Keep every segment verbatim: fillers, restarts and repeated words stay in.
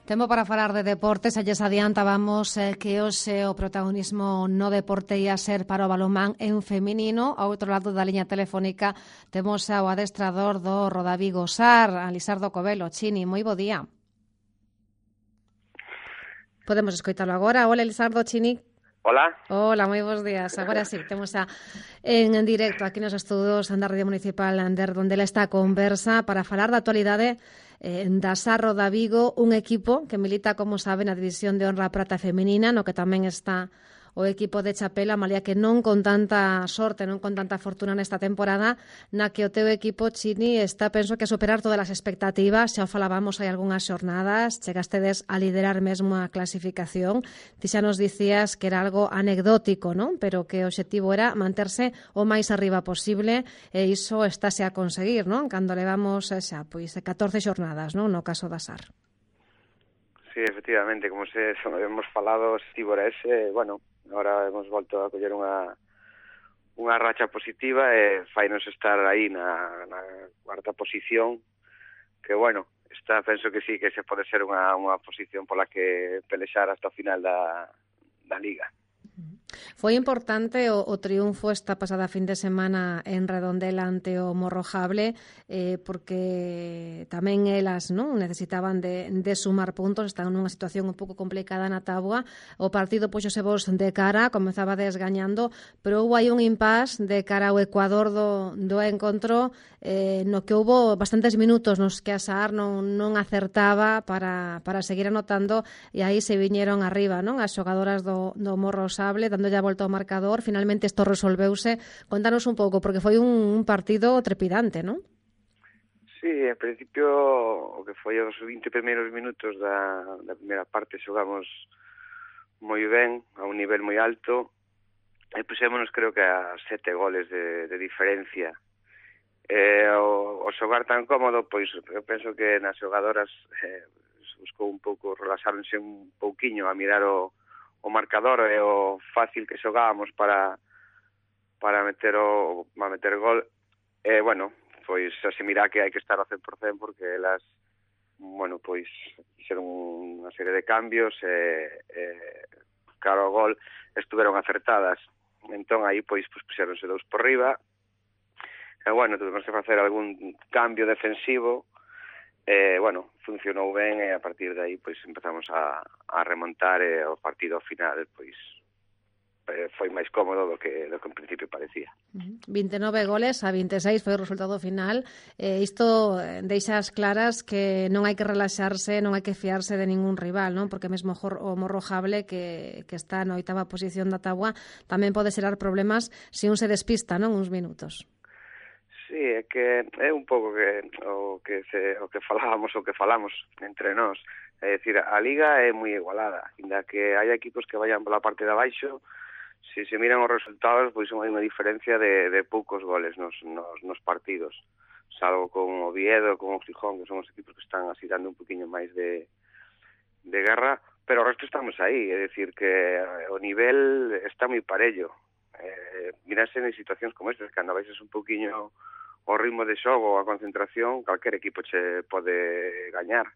Tempo para falar de deportes, xa lles adiantábamos eh, que hoxe o protagonismo no deporte ia ser para o balonmán en feminino. Ao outro lado da liña telefónica temos ao adestrador do Rodavigo Sar, a Lisardo Covelo. Chini, moi bo día. Podemos escoitalo agora. Hola, Lisardo, Chini. Hola. Hola, moi bons días. Agora sí, temos a, en, en directo aquí nos estudos da Radio Municipal Ander, onde ela está a conversa para falar da actualidade eh, da Sar Rodavigo, un equipo que milita, como saben, na División de Honra Prata Femenina, no que tamén está o equipo de Chapela, malia que non con tanta sorte, non con tanta fortuna nesta temporada, na que o teu equipo, Chini, está, penso que a superar todas as expectativas. Xa o falábamos hai algunhas xornadas, chegastedes a liderar mesmo a clasificación. Ti xa nos dicías que era algo anecdótico, non? Pero que o obxectivo era manterse o máis arriba posible, e iso estáse a conseguir, non? Cando levamos xa, pois, catorce xornadas, non? No caso da Sar. Sí, efectivamente, como se hemos falado, estivo era ese, bueno, ahora hemos volto a coller unha unha racha positiva e fainos estar aí na, na cuarta posición, que bueno, está, penso que sí, que se pode ser unha, unha posición pola que pelexar hasta o final da, da Liga. Foi importante o, o triunfo esta pasada fin de semana en Redondela ante o Morrojable, eh, porque tamén elas, non, necesitaban de, de sumar puntos, están nunha situación un pouco complicada na táboa. O partido puxose vos de cara, comezaba desgañando, pero houve aí un impás de cara ao Ecuador do, do encontro, eh, no que houve bastantes minutos nos que a Sar non, non acertaba para, para seguir anotando, e aí se viñeron arriba, non, as xogadoras do, do Morrojable, dando ya volta ao marcador. Finalmente isto resolveuse. Contanos un pouco, porque foi un, un partido trepidante, non? Sí, en principio o que foi os vinte primeiros minutos da, da primeira parte xogamos moi ben, a un nivel moi alto, e puxémonos creo que a sete goles de, de diferencia. E o, o xogar tan cómodo, pois eu penso que nas xogadoras eh, buscou un pouco, relaxaronse un pouquiño a mirar o o marcador e o fácil que xogábamos para para meter o para meter gol. E, bueno, pois se mira que hai que estar ao cen por cen porque elas, bueno, pois fixeron unha serie de cambios e, e claro, o gol estuveron acertadas. Entón, aí, pois, pois puxeronse dous por riba. E, bueno, tuvimos que facer algún cambio defensivo. Eh, bueno, funcionou ben e a partir de aí pois empezamos a, a remontar e o partido final pois eh, foi máis cómodo do que, do que en principio parecía. vinte e nove goles a vinte e seis foi o resultado final. Eh, isto deixa as claras que non hai que relaxarse, non hai que fiarse de ningún rival, non? Porque mesmo o Morrojable, que, que está na oitava posición da táboa, tamén pode xerar problemas se un se despista, non? Uns minutos. Sí, é que é un pouco que o que se o que falábamos o que falamos entre nós. É dicir, a liga é moi igualada, ainda que hai equipos que vayan pola parte de abaixo, se se miran os resultados, pois hai unha diferencia de, de poucos goles nos, nos, nos partidos. Salvo con Oviedo, con o Gijón, que son os equipos que están así dando un poquinho máis de, de guerra, pero o resto estamos aí, é dicir que o nivel está moi parello. Eh, mirase en situacións como estas, cando baixes un poquinho o ritmo de xogo, a concentración, calquer equipo che pode gañar.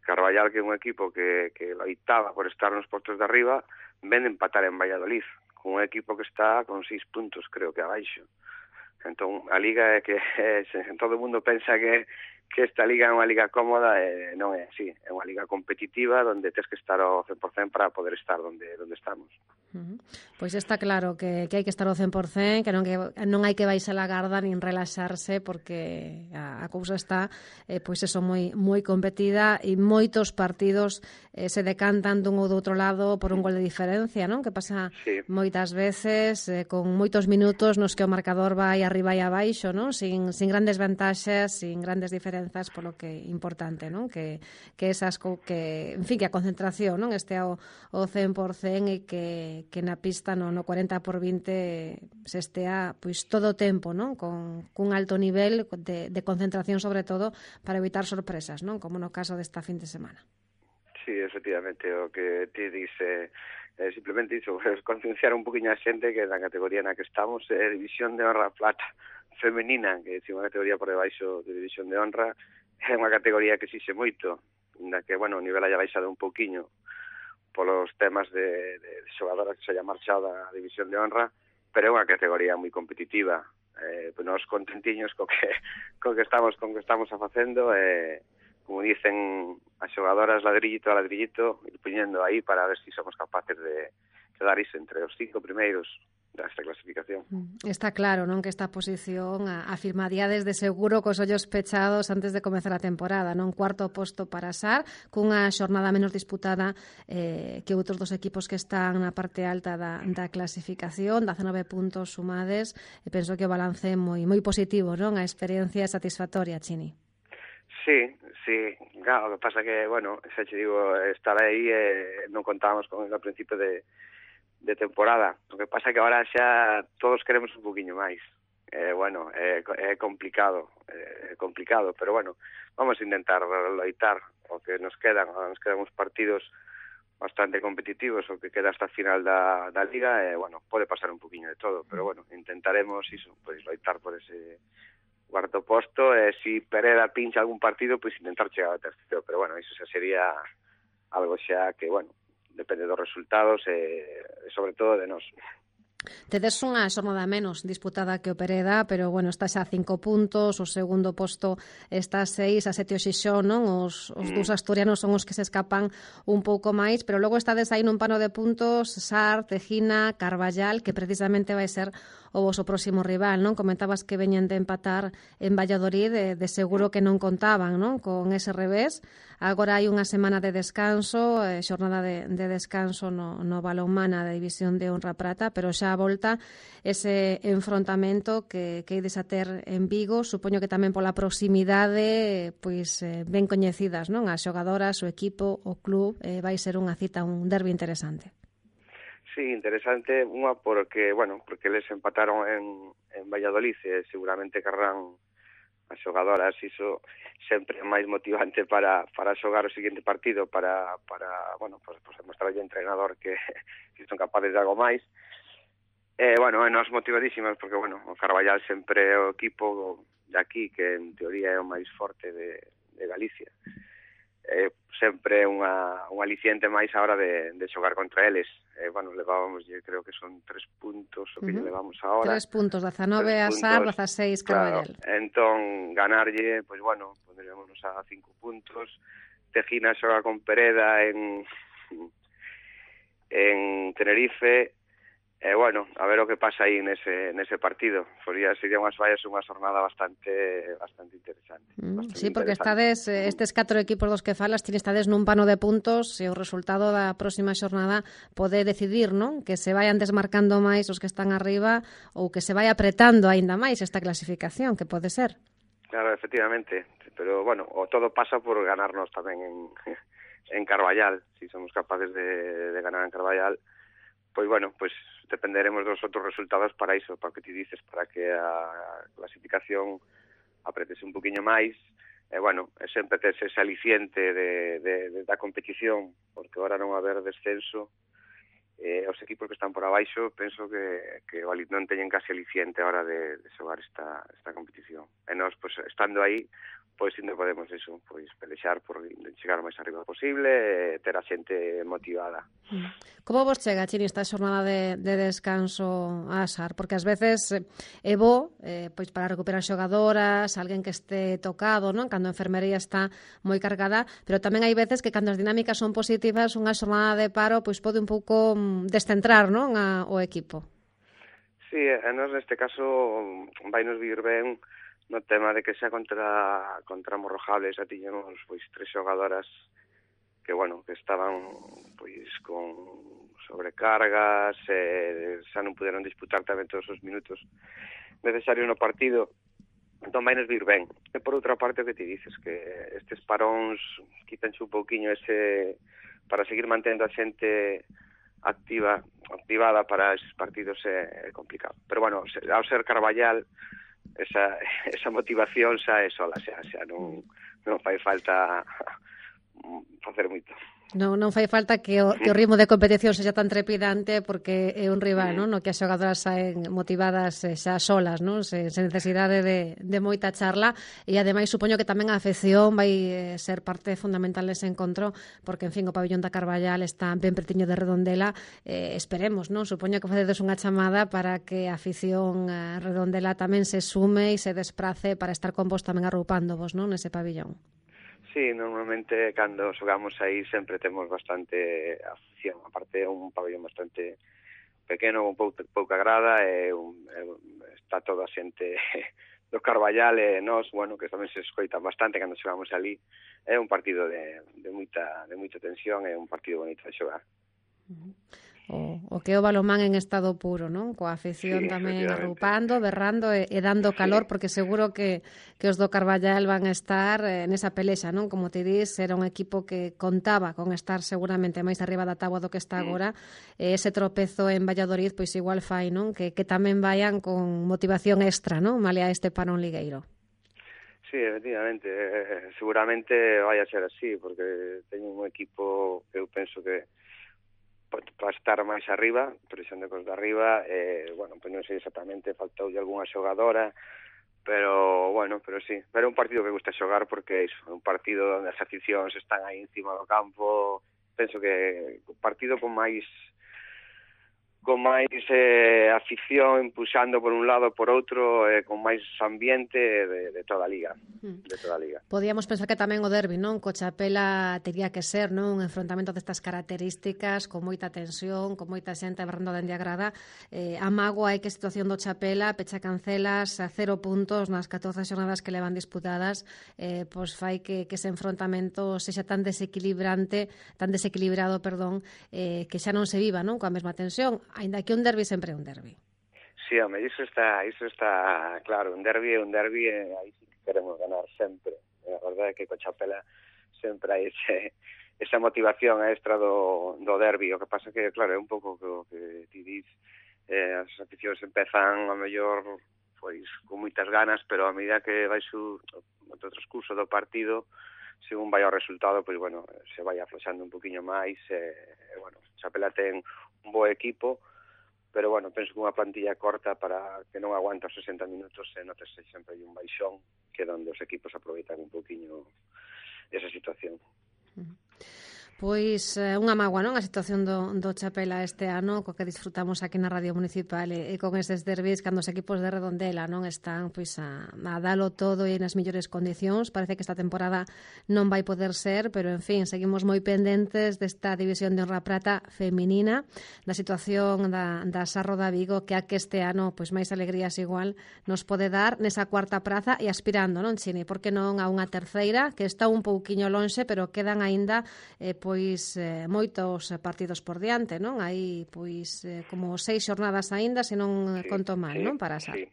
Carballal, que é un equipo que, que loitaba por estar nos postos de arriba, ven de empatar en Valladolid, con un equipo que está con seis puntos, creo que abaixo. Entón, a liga é que é, todo o mundo pensa que, que esta liga é unha liga cómoda, e non é así. É unha liga competitiva onde tens que estar ao cen por cen para poder estar onde, onde estamos. Uh-huh. Pois está claro que, que hai que estar ao cen por cen, que non, que non hai que baixar a garda nin relaxarse, porque a, a cousa está eh, pois eso, moi, moi competida, e moitos partidos eh, se decantan dun ou do outro lado por un gol de diferencia, non? Que pasa sí. moitas veces eh, con moitos minutos nos que o marcador vai arriba e abaixo, non? Sin, sin grandes vantaxes, sin grandes diferenzas, polo que é importante, non? Que, que esas que, en fin, que a concentración, non? Este ao, ao cen por cen, e que que na pista no, no cuarenta por vinte se estea pois todo o tempo, non? Con cun alto nivel de, de concentración, sobre todo para evitar sorpresas, non? Como no caso desta fin de semana. Sí, efectivamente, o que ti dice eh, simplemente iso, concienciar un poquinho a xente que na categoría na que estamos é eh, División de Honra Plata femenina, que é unha categoría por debaixo de División de Honra, é unha categoría que exixe moito, na que, bueno, o nivel haya baixado un pouquiño polos temas de, de xogadoras que se haya marchado da División de Honra, pero é unha categoría moi competitiva. Eh, nos contentiños co que, co que estamos con que estamos a facendo, eh, como dicen as xogadoras, ladrillito a ladrillito, ir poñendo aí para ver se si somos capaces de quedar iso entre os cinco primeiros desta clasificación. Está claro, non, que esta posición afirmaría desde seguro cos ollos pechados antes de comezar a temporada, non? Cuarto posto para Sar, cunha xornada menos disputada eh, que outros dos equipos que están na parte alta da, da clasificación, dezanove puntos sumades, e penso que o balance é moi moi positivo, non? A experiencia é satisfactoria, Chini. Sí, sí, claro, o que pasa que, bueno, xa te digo, estar aí eh, non contábamos con el ao principio de de temporada. O que pasa é que agora xa todos queremos un poquinho máis. Eh, bueno, é, é complicado, é complicado, pero bueno, vamos a intentar loitar o que nos quedan, nos quedan uns partidos bastante competitivos, o que queda hasta a final da, da Liga, e, bueno, pode pasar un poquinho de todo, pero bueno, intentaremos iso, pois loitar por ese cuarto posto, e se si Pereda pincha algún partido, pois intentar chegar ao terceiro, pero bueno, iso xa sería algo xa que, bueno, depende dos resultados e, sobre todo, de nós. Tedes unha xornada menos disputada que o Pereda, pero, bueno, está xa a cinco puntos, o segundo posto está a seis, a sete o Xixón, non? Os, os mm. dous asturianos son os que se escapan un pouco máis, pero logo estades aí nun pano de puntos, Sar, Tejina, Carballal, que precisamente vai ser o voso próximo rival, non? Comentabas que veñen de empatar en Valladolid, de, de seguro que non contaban, non? Con ese revés. Agora hai unha semana de descanso, eh, xornada de, de descanso no, no balonmana da División de Honra Prata, pero xa a volta ese enfrontamento que, que ides a ter en Vigo, supoño que tamén pola proximidade, pois eh, ben coñecidas, non? As xogadoras, o equipo, o club, eh, vai ser unha cita, un derbi interesante. Sí, interesante, unha porque, bueno, porque les empataron en, en Valladolid e seguramente querrán as xogadoras, iso sempre é máis motivante para, para xogar o seguinte partido, para, para bueno, pues, pues demostrar ao entrenador que, que son capaces de algo máis. Eh, bueno, nos motivadísimas porque, bueno, o Carballal sempre é o equipo de aquí que en teoría é o máis forte de, de Galicia. Eh, sempre unha, un aliciente máis a hora de, de xogar contra eles. Eh, bueno, levábamos, yo creo que son tres puntos o que uh-huh. levamos agora. Tres puntos, dezanove a Sar, dezaseis Carballal. Claro, entón, ganarlle, pois pues, bueno, pondríamos a cinco puntos. Tejina xoga con Pereda en en Tenerife. Eh, bueno, a ver o que pasa aí nese, nese partido. Sería, sería unhas vallas unha jornada bastante bastante interesante. Mm, bastante sí, porque interesante. estades, estes catro equipos dos que falas, tines estades nun pano de puntos e o resultado da próxima xornada pode decidir, non? Que se vayan desmarcando máis os que están arriba ou que se vai apretando aínda máis esta clasificación, que pode ser. Claro, efectivamente. Pero, bueno, o todo pasa por ganarnos tamén en, en Carballal. Si somos capaces de, de ganar en Carballal, pois, bueno, pois dependeremos dos outros resultados para iso, para que ti dices, para que a clasificación apretese un poquinho máis. E, bueno, sempre tes ese aliciente de, de, de, da competición, porque agora non va a haber descenso. Eh, os equipos que están por abaixo, penso que, que non teñen casi aliciente a hora de, de xogar esta, esta competición. E nós, pois, estando aí, pois ainda podemos eso, pois pelexar por chegar o máis arriba posible e ter a xente motivada. Como vos chega, Chini, esta xornada de, de descanso a Sar? Porque ás veces é bo, eh, pois para recuperar xogadoras, alguén que este tocado, non? Cando a enfermería está moi cargada, pero tamén hai veces que cando as dinámicas son positivas, unha xornada de paro pois pode un pouco descentrar, non, a, o equipo. Sí, e nos neste caso vai nos vir ben no tema de que xa contra contra Morrojables xa tiñemos pois tres xogadoras que, bueno, que estaban pois con sobrecargas, e xa non puderon disputar tamén todos os minutos necesarios no partido. Entón vai nos vir ben. E por outra parte, o que ti dices, que estes paróns quítanse un pouquiño ese para seguir mantendo a xente activa, activada para esos partidos é, é complicado. Pero, bueno, ao ser Carballal, esa, esa motivación xa é sola, xa, xa non, non fai falta facer moito. Non, non fai falta que o, que o ritmo de competición sexa tan trepidante porque é un rival, non? No que as xogadoras saen motivadas xa solas, non? Sen, sen necesidade de, de moita charla e ademais supoño que tamén a afección vai ser parte fundamental dese encontro porque, en fin, o pabillón da Carballal está ben pertiño de Redondela, eh, esperemos, non? Supoño que facedes unha chamada para que a afición a Redondela tamén se sume e se desprace para estar con vos tamén arroupándovos, non? Nese pabillón. Sí, normalmente cando xogamos aí sempre temos bastante afición, aparte é un pabellón bastante pequeno, con pouca, pouca grada, e un, e está toda a xente do Carballal e nós, bueno, que tamén se escoitan bastante cando xogamos ali. É un partido de, de, moita, de moita tensión, é un partido bonito de xogar. Uh-huh. O, o que é o balonmán en estado puro, non? Coa afición sí, tamén arroupando, berrando e, e dando calor, sí. Porque seguro que, que os do Carballal van a estar eh, nesa pelexa, non? Como te dis, era un equipo que contaba con estar seguramente máis arriba da táboa do que está agora, e ese tropezo en Valladolid, pois igual fai, non? Que, que tamén vayan con motivación extra, non? Male a este parón ligueiro. Sí, efectivamente, eh, seguramente vai a ser así, porque teño un equipo que eu penso que para estar máis arriba, presando cos de arriba, eh, bueno, pois non sei exactamente, faltoulle algunha xogadora, pero, bueno, pero sí, pero é un partido que gusta xogar porque é un partido onde as aficións están aí encima do campo, penso que un partido con máis con máis eh, afición, impulsando por un lado por outro, eh, con máis ambiente de, de toda a liga, de toda a liga. Podíamos pensar que tamén o derbi, non? Co Chapela tería que ser, non? Un enfrontamento destas características, con moita tensión, con moita xente berrando dende a grada. Eh, a mágoa é que a situación do Chapela, pecha cancelas a cero puntos nas catorce xornadas que levan disputadas, eh, pois fai que, que ese enfrontamento sexa tan desequilibrante, tan desequilibrado, perdón, eh, que xa non se viva, non? Coa mesma tensión. Ainda que un derbi sempre é un derbi. Sí, home, iso está, iso está claro, un derbi é un derbi e aí sí que queremos ganar sempre. A verdade é que co Chapela sempre hai ese, esa motivación extra do, do derbi. O que pasa que, claro, é un pouco o que ti dis, eh, as aficións empezan a mellor pois con moitas ganas, pero a medida que vai su, o transcurso do partido, según vai o resultado, pois, bueno, se vai afloxando un poquinho máis, e, eh, bueno, Chapela ten un bo equipo, pero, bueno, penso que unha plantilla corta para que non aguanta os sesenta minutos e notese sempre hai un baixón, que é onde os equipos aproveitan un poquinho esa situación. Uh-huh. Pois eh, unha mágoa, non? A situación do, do Chapela este ano, co que disfrutamos aquí na Radio Municipal e, e con eses derbis cando os equipos de Redondela non están pois a, a dalo todo e nas mellores condicións. Parece que esta temporada non vai poder ser, pero en fin, seguimos moi pendentes desta división de honra prata feminina, da situación da, da Sarro da Vigo, que a que este ano pois máis alegrías igual nos pode dar nesa cuarta praza e aspirando, non, Chini? Por que non a unha terceira, que está un pouquiño lonxe, pero quedan aínda eh, pois pois eh, moitos partidos por diante, non? Hai pois eh, como seis xornadas aínda, se non sí, conto mal, sí, non? Para xa. Sí.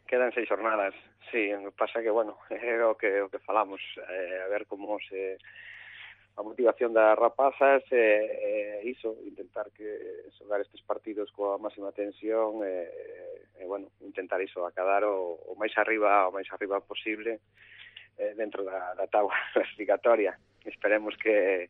Quedan seis xornadas. Sí, pasa que, bueno, é o que o que falamos, eh, a ver como se a motivación das rapazas é eh, eh, iso, intentar que xogar estes partidos coa máxima tensión e eh, eh, bueno, intentar iso, acadar o, o máis arriba, o máis arriba posible eh, dentro da, da táboa clasificatoria. Esperemos que,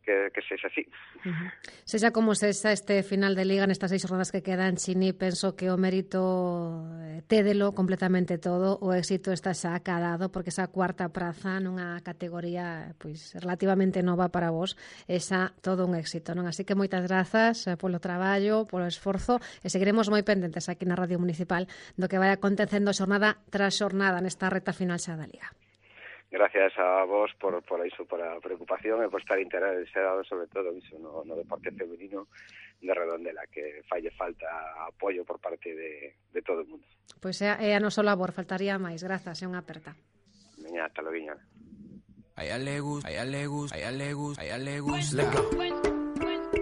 que, que sexa así. Uh-huh. Sexa como sexa este final de liga nestas seis jornadas que quedan, Chini, penso que o mérito eh, tédelo completamente todo, o éxito está xa acadado, porque esa cuarta praza nunha categoría pois relativamente nova para vos, esa todo un éxito, non? Así que moitas grazas eh, polo traballo, polo esforzo, e seguiremos moi pendentes aquí na Radio Municipal do que vai acontecendo xornada tras xornada nesta reta final xa da liga. Gracias a vos por, por iso, por a preocupación e por estar interesado sobre todo iso no, no deporte femenino de Redondela, que falle falta apoio por parte de, de todo o mundo. Pois é, é a noso labor, faltaría máis. Grazas, é unha aperta. Veña, hasta logo. A ella le gusta, a ella le gusta, a ella le gusta, a ella le gusta.